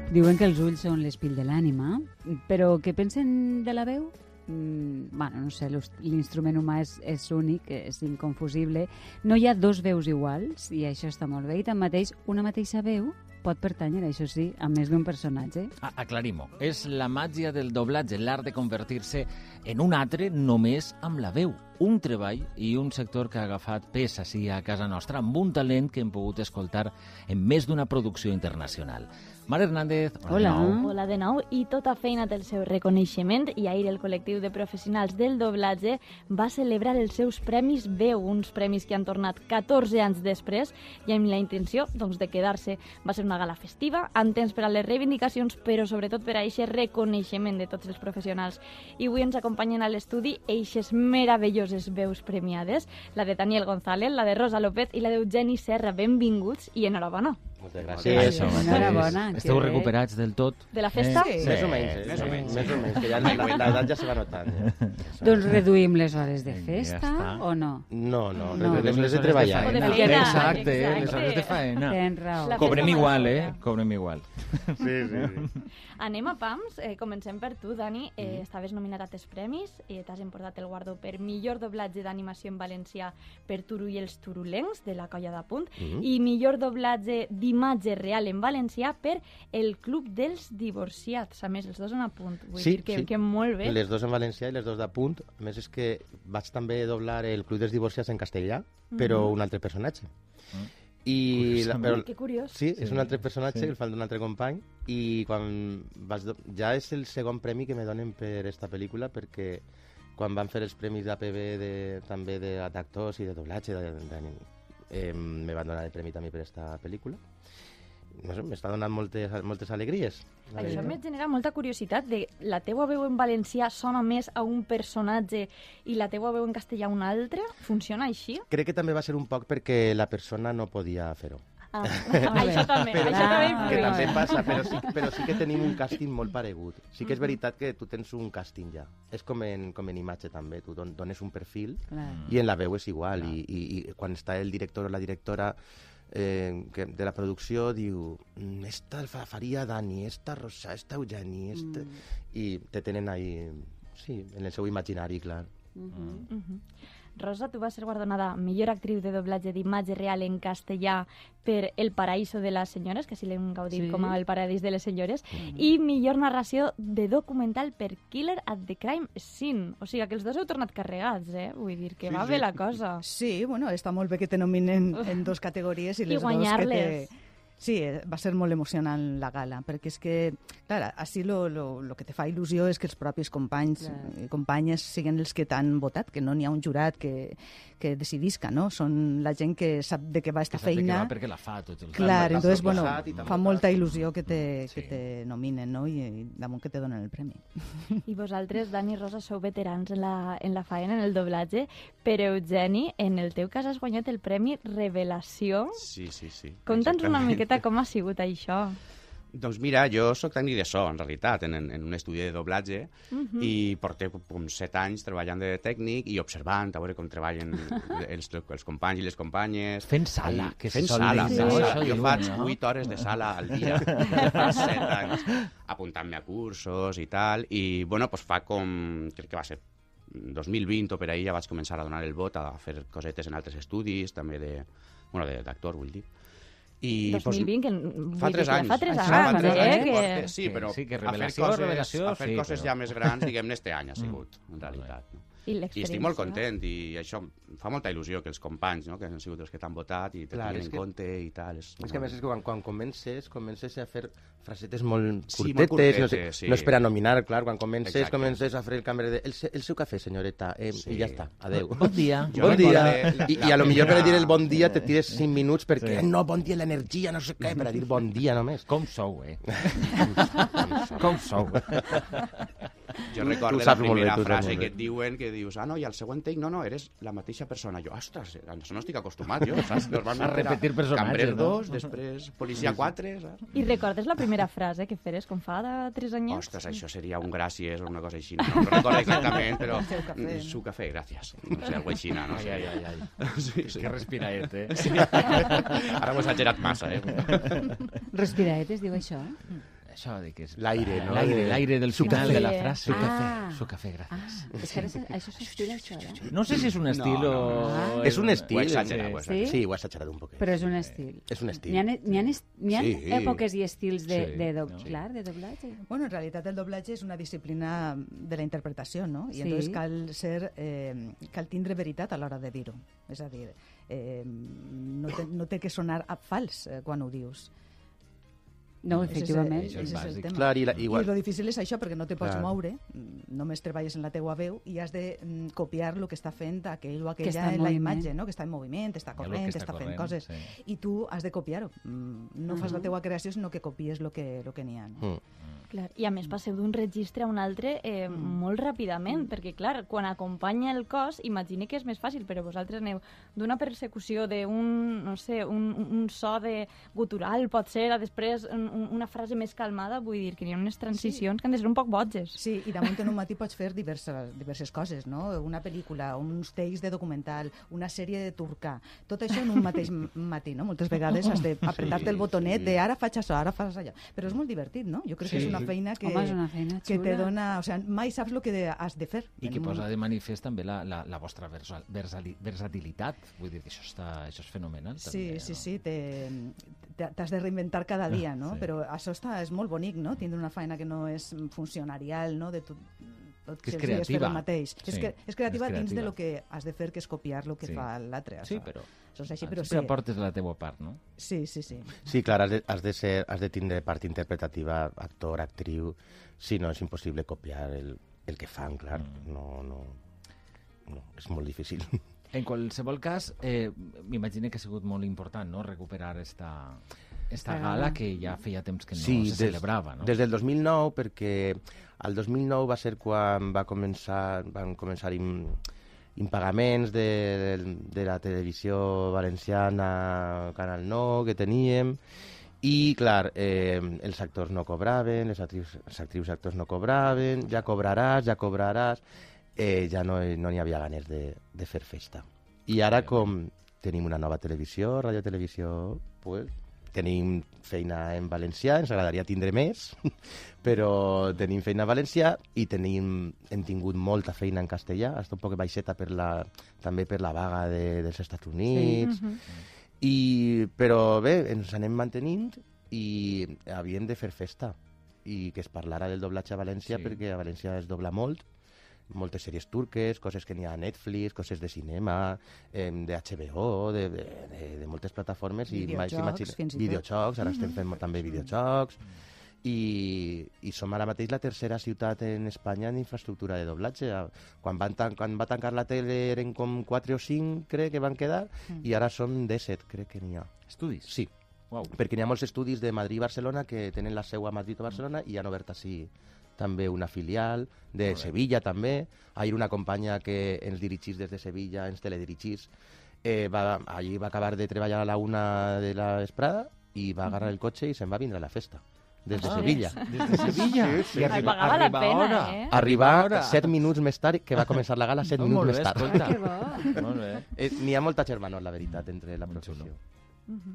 Diuen que els ulls són l'espill de l'ànima, però què pensen de la veu? Bueno, no sé, l'instrument humà és únic, és inconfusible. No hi ha dos veus iguals, i això està molt bé, i tanmateix una mateixa veu pot pertànyer, això sí, a més d'un personatge. Aclarim-ho. És la màgia del doblatge, l'art de convertir-se en un altre només amb la veu. Un treball i un sector que ha agafat pes així a casa nostra amb un talent que hem pogut escoltar en més d'una producció internacional. Mar Hernández, hola. Hola de nou, i tota feina té el seu reconeixement, i ahir el col·lectiu de professionals del doblatge va celebrar els seus premis Veu, uns premis que han tornat 14 anys després i amb la intenció de quedar-se. Va ser una gala festiva, amb temps per a les reivindicacions, però sobretot per a aquest reconeixement de tots els professionals. I avui ens acompanyen a l'estudi eixes meravelloses veus premiades, la de Daniel González, la de Rosa López i la d'Eugeni Serra. Benvinguts i enhorabona. Moltes gràcies. Enhorabona. Esteu recuperats del tot? De la festa? Sí. Més o menys, que ja l'edat ja se va notant. Doncs reduïm les hores de festa o no? No, reduïm les de treballar. Exacte, les hores de faena. Tens raó. Cobrem igual, Cobrem igual. Sí. Anem a pams. Comencem per tu, Dani. Estaves nominat a 3 premis. T'has emportat el guardó per millor doblatge d'animació en valencià per Turu i els turulencs, de la Colla d'Apunt, i millor doblatge d'imatge real en valencià per el Club dels Divorciats. A més, els dos en Apunt. Vull dir que molt bé. Les dos en valencià i les dos d'Apunt. A més, és que vaig també doblar el Club dels Divorciats en castellà, però un altre personatge. Que curiós. Sí, és un altre personatge, el fan d'un altre company, i quan ja és el segon premi que me donen per esta pel·lícula, perquè quan van fer els premis d'APB també d'actors i de doblatge me van donar el premi també per esta pel·lícula. No sé, m'està donant moltes alegries. Això em genera molta curiositat de la teua veu en valencià sona més a un personatge i la teua veu en castellà a un altre? Funciona així? Crec que també va ser un poc perquè la persona no podia fer-ho. Això també que també passa, però sí que tenim un càsting molt paregut. Sí que és veritat que tu tens un càsting ja. És com en imatge també, tu dones un perfil i en la veu és igual. I quan està el director o la directora de la producció diu esta el faria Dani, esta Rosa, esta Eugeni, i te tenen ahí, sí, en el seu imaginari, clar. Rosa, tu vas ser guardonada millor actriu de doblatge d'imatge real en castellà per El paraíso de las senyores, que així l'hem gaudit com El paradís de les senyores, i millor narració de documental per Killer at the Crime Scene. O sigui, que els dos heu tornat carregats, Vull dir que va bé la cosa. Sí, bueno, està molt bé que te nominen en dos categories i les dos guanyar-les. Sí, va ser molt emocionant la gala, perquè és que, clar, així lo que te fa il·lusió és que els propis companys i companyes siguin els que t'han votat, que no n'hi ha un jurat que decidisca, no? Són la gent que sap de què va esta feina. Perquè la fa tots els anys. Clar, entonces, bueno, fa molta il·lusió que te nominen, no? I damunt que te donen el premi. I vosaltres, Dani i Rosa, sou veterans en la faena, en el doblatge, però Eugeni, en el teu cas has guanyat el premi Revelació. Sí. Conta'ns una miqueta com ha sigut això. Doncs mira, jo sóc tècnic de so, en realitat, en un estudi de doblatge, i porto com 7 anys treballant de tècnic i observant, a veure com treballen els companys i les companyes. Fent sala. Fent sala. Jo faig 8 hores de sala al dia, fa 7 anys, apuntant-me a cursos i tal, i bueno, pues fa com, crec que va ser 2020 o per ahir, ja vaig començar a donar el vot a fer cosetes en altres estudis, també d'actor, vull dir. I 2020, fa 3 anys. Fa 3 anys, sí, però que a fer coses ja més grans, diguem-ne, este any ha sigut, en realitat. I estic molt content, i això fa molta il·lusió que els companys, que han sigut els que t'han votat i te tinguin en compte i tal. És que a més és que quan comences a fer frasetes molt curtetes, no és per a nominar, clar, quan comences a fer el cambrer el seu cafè, senyoreta, i ja està, adeu. Bon dia. I a lo millor per a dir el bon dia te tires 5 minuts perquè no, bon dia, l'energia, no sé què, per a dir bon dia només. Com sou, Com sou. Jo recordo la primera frase que et diuen, que dius, no, i al següent take, no, eres la mateixa persona. Jo, ostres, a això no estic acostumat, jo, saps? Normalment a repetir personatges, Cambrer 2, després Policia 4, saps? I recordes la primera frase que feres com fa de 3 anyets? Ostres, això seria un gràcies o una cosa així. No recordo exactament, però... Su cafè, gràcies. No sé, algo així, no sé. Ai. Que respiraet, Sí. Ara ho he exagerat massa, Respiraet es diu això? Això de que és... L'aire, no? L'aire del final de la frase. Su cafè, gràcies. És que això s'estil, això, eh? No sé si és un estil o... És un estil. Ho he exagerat. Sí, ho he exagerat un poquet. Però és un estil. És un estil. N'hi ha èpoques i estils de doblatge? Bueno, en realitat el doblatge és una disciplina de la interpretació, no? I entonces cal tindre veritat a l'hora de dir-ho. És a dir, no té que sonar fals quan ho dius. No, efectivament. Això és bàsic. Clar, I el difícil és això, perquè no te pots moure, només treballes en la teua veu i has de copiar el que està fent aquell o aquella en la imatge, no? Que està en moviment, està corrent, està fent coses. I tu has de copiar-ho. No fas la teua creació, sinó que copies el que n'hi ha. Clar. I a més passeu d'un registre a un altre molt ràpidament, perquè clar, quan acompanya el cos, imagine que és més fàcil, però vosaltres aneu d'una persecució d'un, no sé, un so de gutural, pot ser, a després una frase més calmada, vull dir que hi ha unes transicions que han de ser un poc boges. Sí, i damunt en un matí pots fer diverses coses, no? Una pel·lícula, uns takes de documental, una sèrie de turca, tot això en un mateix matí, no? Moltes vegades has d'apretar-te el botonet de ara faig això, ara fas allò. Però és molt divertit, no? Jo crec que és una feina que te dona... O sigui, mai saps el que has de fer. I que posa de manifest també la vostra versatilitat. Vull dir que això és fenomenal. Sí, t'has de reinventar cada dia, no? Però això és molt bonic, no? Tindre una feina que no és funcionarial, no? De tot que és creativa. És creativa dins de lo que has de fer, que és copiar el que fa l'altre. Sí, però... Sempre aportes la teua part, no? Sí. Sí, clar, has de tindre part interpretativa, actor, actriu. Sí, no, és impossible copiar el que fan, clar. No, és molt difícil. En qualsevol cas, m'imagino que ha sigut molt important, no?, recuperar esta gala que ja feia temps que no se celebrava, no? Des del 2009, perquè el 2009 va ser quan van començar impagaments de la televisió valenciana, Canal 9, que teníem, i, clar, els actors no cobraven, les actrius i actors no cobraven, ja cobraràs, ja no n'hi havia ganes de fer festa. I ara, com tenim una nova televisió, radiotelevisió, pues, tenim feina en valencià, ens agradaria tindre més, però tenim feina en valencià i hem tingut molta feina en castellà, està un poc baixeta també per la vaga dels Estats Units, però bé, ens anem mantenint i havíem de fer festa i que es parlara del doblatge a València, perquè a València es dobla moltes sèries turques, coses que n'hi ha a Netflix, coses de cinema, de HBO, de moltes plataformes. Videojocs, ara estem fent també videojocs. I som ara mateix la tercera ciutat en Espanya en infraestructura de doblatge. Quan va tancar la tele eren com 4 o 5, crec que van quedar, i ara som 17, crec que n'hi ha. Estudis? Sí. Wow. Perquè n'hi ha molts estudis de Madrid i Barcelona que tenen la seu a Madrid o Barcelona i han obert així també una filial, de Sevilla també. Ahir una companya que ens dirigís des de Sevilla, ens teledirigís, allí va acabar de treballar a la 1 de la vesprada i va agarrar el cotxe i se'n va vindre a la festa. Des de Sevilla. Des de Sevilla? Sí. Pagava la pena, Arribar 7 minuts més tard, que va començar la gala 7 minuts més tard. Que bo. Molt bé. N'hi ha molta germanor, la veritat, entre la professió.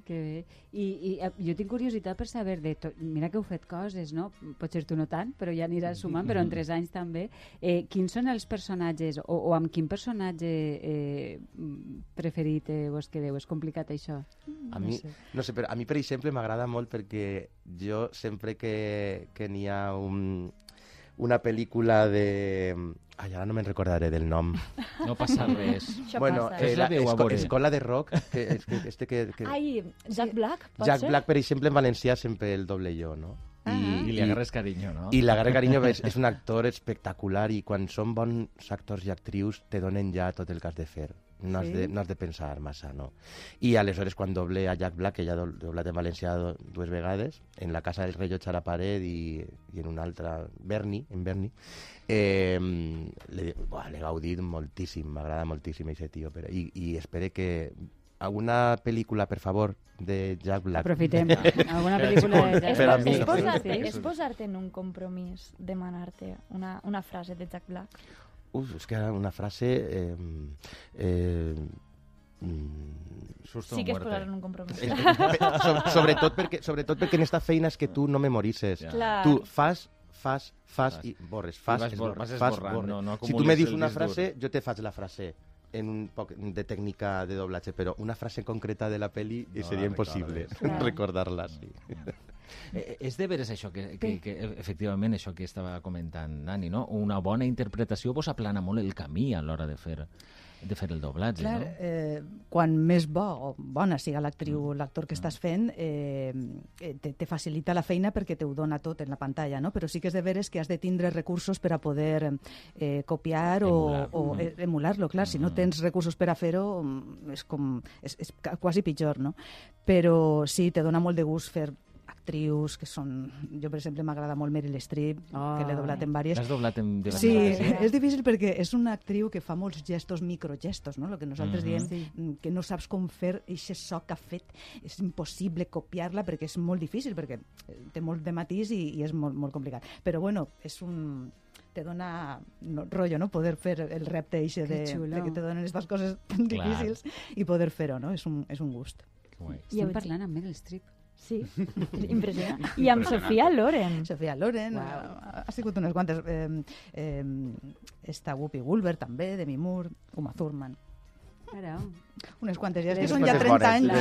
Que bé. I jo tinc curiositat per saber de tot. Mira que heu fet coses, no? Potser tu no tant, però ja aniràs sumant, però en 3 anys també. Quins són els personatges, o amb quin personatge preferit vos quedeu? És complicat, això? A mi, no sé, però a mi, per exemple, m'agrada molt perquè jo sempre que n'hi ha una pel·lícula de... Ai, ara no me'n recordaré del nom. No passa res. Bueno, Escola de Rock. Ai, Jack Black, pot Jack ser? Black, per exemple, en valencià sempre el doble jo, no? I li agarres carinyo, no? I l'agarre carinyo és un actor espectacular i quan són bons actors i actrius te donen ja tot el que has de fer. No has de pensar massa, no? I aleshores quan doble a Jack Black, que ja ha doblat en valencià 2 vegades, en La casa del rellotge a la paret i en una altra, en Bernie, l'he gaudit moltíssim, m'agrada moltíssim aquest tio. I espero que alguna pel·lícula, per favor, de Jack Black. Aprofitem. Alguna pel·lícula de Jack Black. És posar-te en un compromís, demanar-te una frase de Jack Black? És que una frase... Sí que es posaran un compromís. Sobretot perquè en esta feina és que tu no memoritzes. Tu fas i borres. Si tu me dius una frase, jo te faig la frase en un poc de tècnica de doblatge, però una frase concreta de la peli seria impossible recordar-la. És de veres això que efectivament això que estava comentant Nani, no? Una bona interpretació vos aplana molt el camí a l'hora de fer el doblatge, clar, no? Quan més bona siga l'actriu o l'actor que estàs fent, te facilita la feina perquè te ho dona tot en la pantalla, no? Però sí que és de veres que has de tindre recursos per a poder copiar o emular-lo. Clar, si no tens recursos per a fer-ho, és quasi pitjor, no? Però sí, te dona molt de gust fer actrius que són... Jo, per exemple, m'agrada molt Meryl Streep, que l'he doblat en diverses. L'has doblat en diverses. Sí, és difícil perquè és una actriu que fa molts gestos, microgestos, no? El que nosaltres diem, que no saps com fer aquest so que ha fet. És impossible copiar-la perquè és molt difícil, perquè té molt de matís i és molt, molt complicat. Però, bueno, és un... te dona rotllo, no? Poder fer el repte eixe de que te donen aquestes coses tan difícils i poder fer-ho, no? És un gust. Estem parlant amb Meryl Streep. Sí, impressionant. I amb Sofia Loren. Sofia Loren, ha sigut unes quantes. Està Whoopi Goldberg també, Demi Moore, Uma Thurman. Unes quantes, ja que són ja 30 anys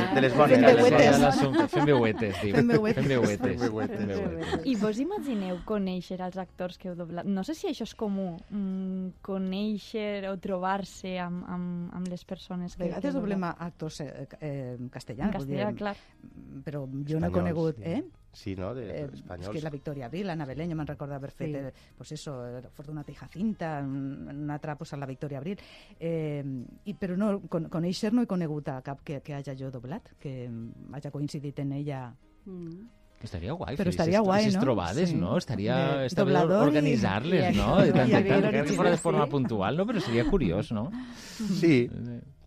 fent veuetes. Fent veuetes. I vos imagineu conèixer els actors que heu doblat? No sé si això és comú, conèixer o trobar-se amb les persones que... A vegades doblem actors castellans. En castellà, clar. Però jo no he conegut... Sí, no? Espanyols. És que la Victoria Abril, Ana Belén, jo me'n recordo haver fet, pues eso, Fortunata i Jacinta, una altra, pues, a la Victoria Abril. Però no, conèixer no he conegut a cap que hagi jo doblat, que hagi coincidit en ella... Estaria guai, però estaria guai, no? Trobades, no? Estaria bé organitzar-les, no? Que fora de forma puntual, no? Però seria curiós, no? Sí,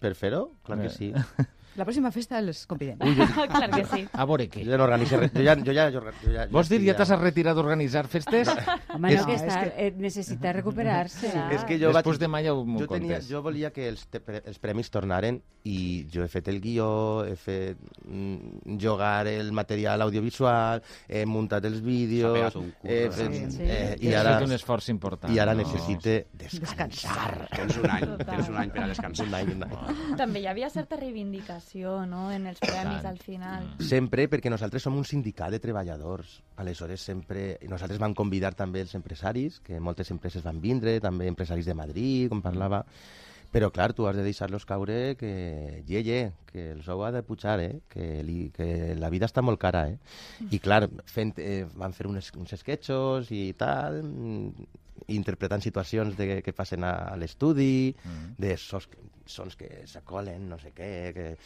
per fer-ho, clar que sí. La pròxima festa els convidem. Clar que sí. A veure què? Jo ja Vols dir, ja t'has retirat d'organitzar festes? Home, no, que necessita recuperar-se. És que després de mai ja m'ho contes. Jo volia que els premis tornaren i jo he fet el guió, he fet jugar el material audiovisual, he muntat els vídeos... I ara un esforç important. I ara necessite descansar. Tens un any per a descansar. També hi havia certa reivindicació, no?, en els premis al final. Sempre, perquè nosaltres som un sindicat de treballadors. Aleshores, sempre... Nosaltres vam convidar també els empresaris, que moltes empreses van vindre, també empresaris de Madrid, com parlava. Però, clar, tu has de deixar-los caure que que el sou ha de pujar, que la vida està molt cara, I, clar, van fer uns sketchos i tal, interpretant situacions que passen a l'estudi, de sons que s'acolen, no sé què,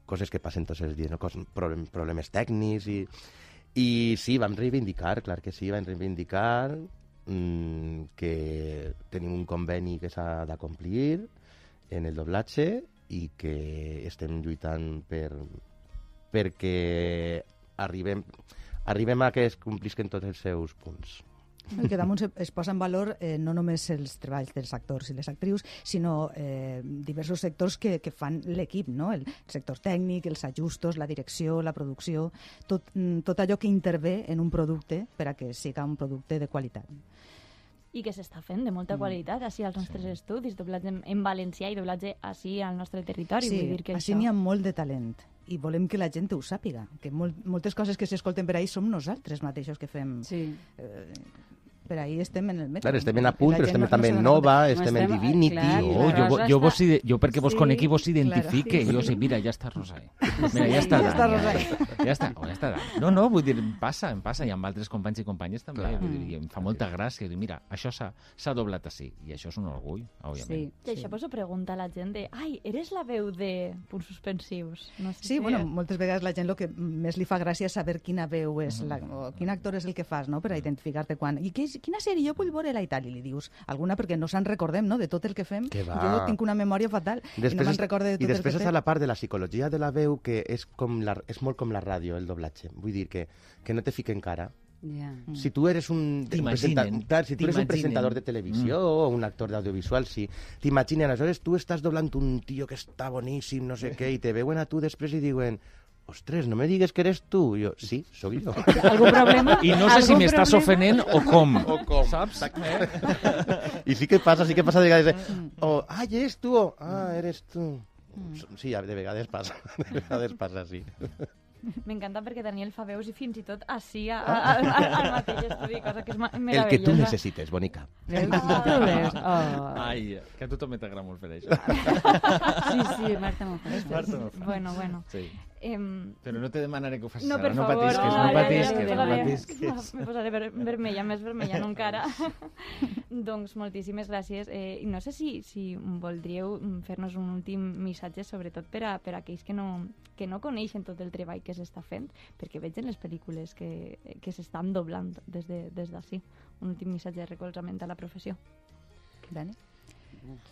coses que passen tots els dies, no? Problemes tècnics i sí, vam reivindicar, clar que sí, vam reivindicar que tenim un conveni que s'ha de complir en el doblatge i que estem lluitant perquè arribem a que es complisquen tots els seus punts. Que damunt es posa en valor no només els treballs dels actors i les actrius, sinó diversos sectors que fan l'equip, no? El sector tècnic, els ajustos, la direcció, la producció, tot allò que intervé en un producte per a que siga un producte de qualitat. I que s'està fent de molta qualitat així als nostres estudis, doblatge en valencià i doblatge així al nostre territori. Sí, vull dir que així n'hi ha molt de talent i volem que la gent ho sàpiga, que moltes coses que s'escolten per ahí som nosaltres mateixos que fem. Sí. Per ahí estem en el metro. Clar, estem en Apunt, però estem també en Nova, estem en Divinity. Jo perquè vos conec i vos identifique. Jo sé, mira, ja està Rosai. Mira, ja està Dan. No, vull dir, em passa, i amb altres companys i companyes també. Vull dir, em fa molta gràcia. Mira, això s'ha doblat així. I això és un orgull, òbviament. I això poso pregunta a la gent de ai, eres la veu de punts suspensius? Sí, bueno, moltes vegades la gent el que més li fa gràcia és saber quina veu és, o quin actor és el que fas, no?, per a identificar-te quan. I quina sèrie jo vull veure-la i tal, i li dius alguna perquè no se'n recordem, no?, de tot el que fem. Jo tinc una memòria fatal i no me'n recorde de tot el que fem. I després està la part de la psicologia de la veu que és molt com la ràdio, el doblatge. Vull dir que no te fiquen cara Si tu eres un presentador de televisió o un actor d'audiovisual, sí, t'imaginen, aleshores tu estàs doblant un tio que està boníssim, no sé què, i te veuen a tu després i diuen: ostres, no me digues que eres tu. Jo, sí, sóc jo. ¿Algún problema? I no sé si m'estàs ofenent o com. Saps? I sí que passa de vegades. Eres tu. Eres tu. Sí, de vegades passa. Sí. M'encanta perquè Daniel fa veus i fins i tot així al mateix estudi, cosa que és meravellosa. El que tu necessites, bonica. Ai, que a tu també t'agrada molt fer això. Sí, Marta m'ho fa. Bueno. Sí. Però no te demanaré que ho facis ara. No patisques. Me posaré vermella, més vermella, no encara. Doncs moltíssimes gràcies. No sé si voldríeu fer-nos un últim missatge, sobretot per a aquells que no coneixen tot el treball que s'està fent, perquè veig en les pel·lícules que s'estan doblant des d'ací. Un últim missatge de recolzament a la professió. Dani?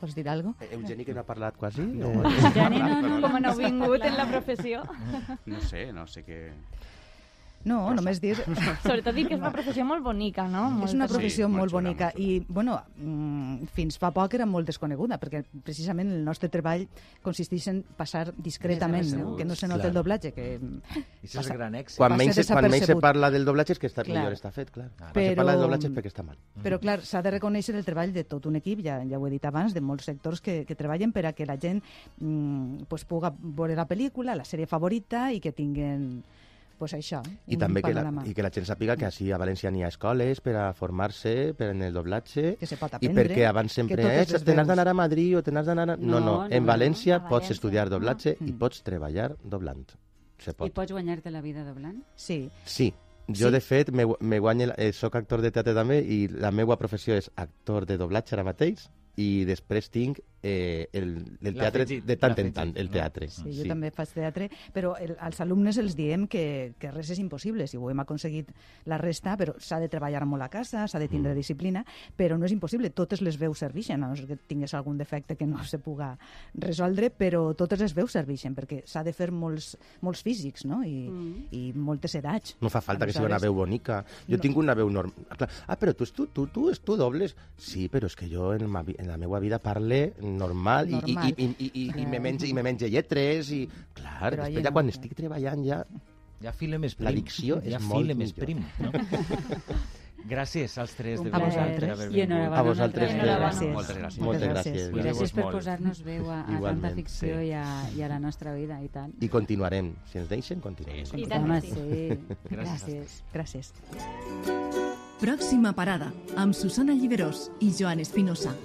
Vols dir alguna cosa? Eugeni, que no ha parlat quasi? Eugeni, no. Com no ha vingut en la professió? No sé què... No, només dir... Sobretot dir que és una professió molt bonica, no? És una professió molt bonica i, bueno, fins fa poc era molt desconeguda, perquè precisament el nostre treball consisteix en passar discretament, no? Que no se nota el doblatge, que... I això és gran èxit. Quan menys se parla del doblatge és que millor està fet, clar. Quan se parla del doblatge és perquè està mal. Però, clar, s'ha de reconèixer el treball de tot un equip, ja ho he dit abans, de molts sectors que treballen per a que la gent pugui veure la pel·lícula, la sèrie favorita, i que tinguin... Pues això, I també que la gent sàpiga que així a València n'hi ha escoles per a formar-se en el doblatge, que se pot aprendre, i perquè abans sempre te n'has d'anar a Madrid o te n'has d'anar... No, en València pots estudiar doblatge i pots treballar doblant. I pots guanyar-te la vida doblant? Sí. Jo, de fet, soc actor de teatre també i la meva professió és actor de doblatge ara mateix, i després tinc el teatre de tant en tant, el teatre. Sí, jo també faig teatre, però als alumnes els diem que res és impossible, si ho hem aconseguit la resta, però s'ha de treballar molt a casa, s'ha de tindre disciplina, però no és impossible, totes les veus serveixen, a no ser que tingués algun defecte que no se puga resoldre, però totes les veus serveixen, perquè s'ha de fer molts físics, no? I moltes edats. No fa falta que sigui una veu bonica. Jo tinc una veu normal. Però tu dobles? Sí, però és que jo en la meva vida parle normal. I me menge lletres i... Clar, després ja quan estic treballant ja fila més prim. La dicció és molt millor. Prim, no? Gràcies als tres de vosaltres per haver vingut. A vosaltres. Moltes gràcies. I gràcies per posar-nos veu a tanta ficció i a la nostra vida, i tant. I continuarem. Si ens deixen, continuarem. I tant que sí. Gràcies. Pròxima parada, amb Susana Lliberós i Joan Espinosa.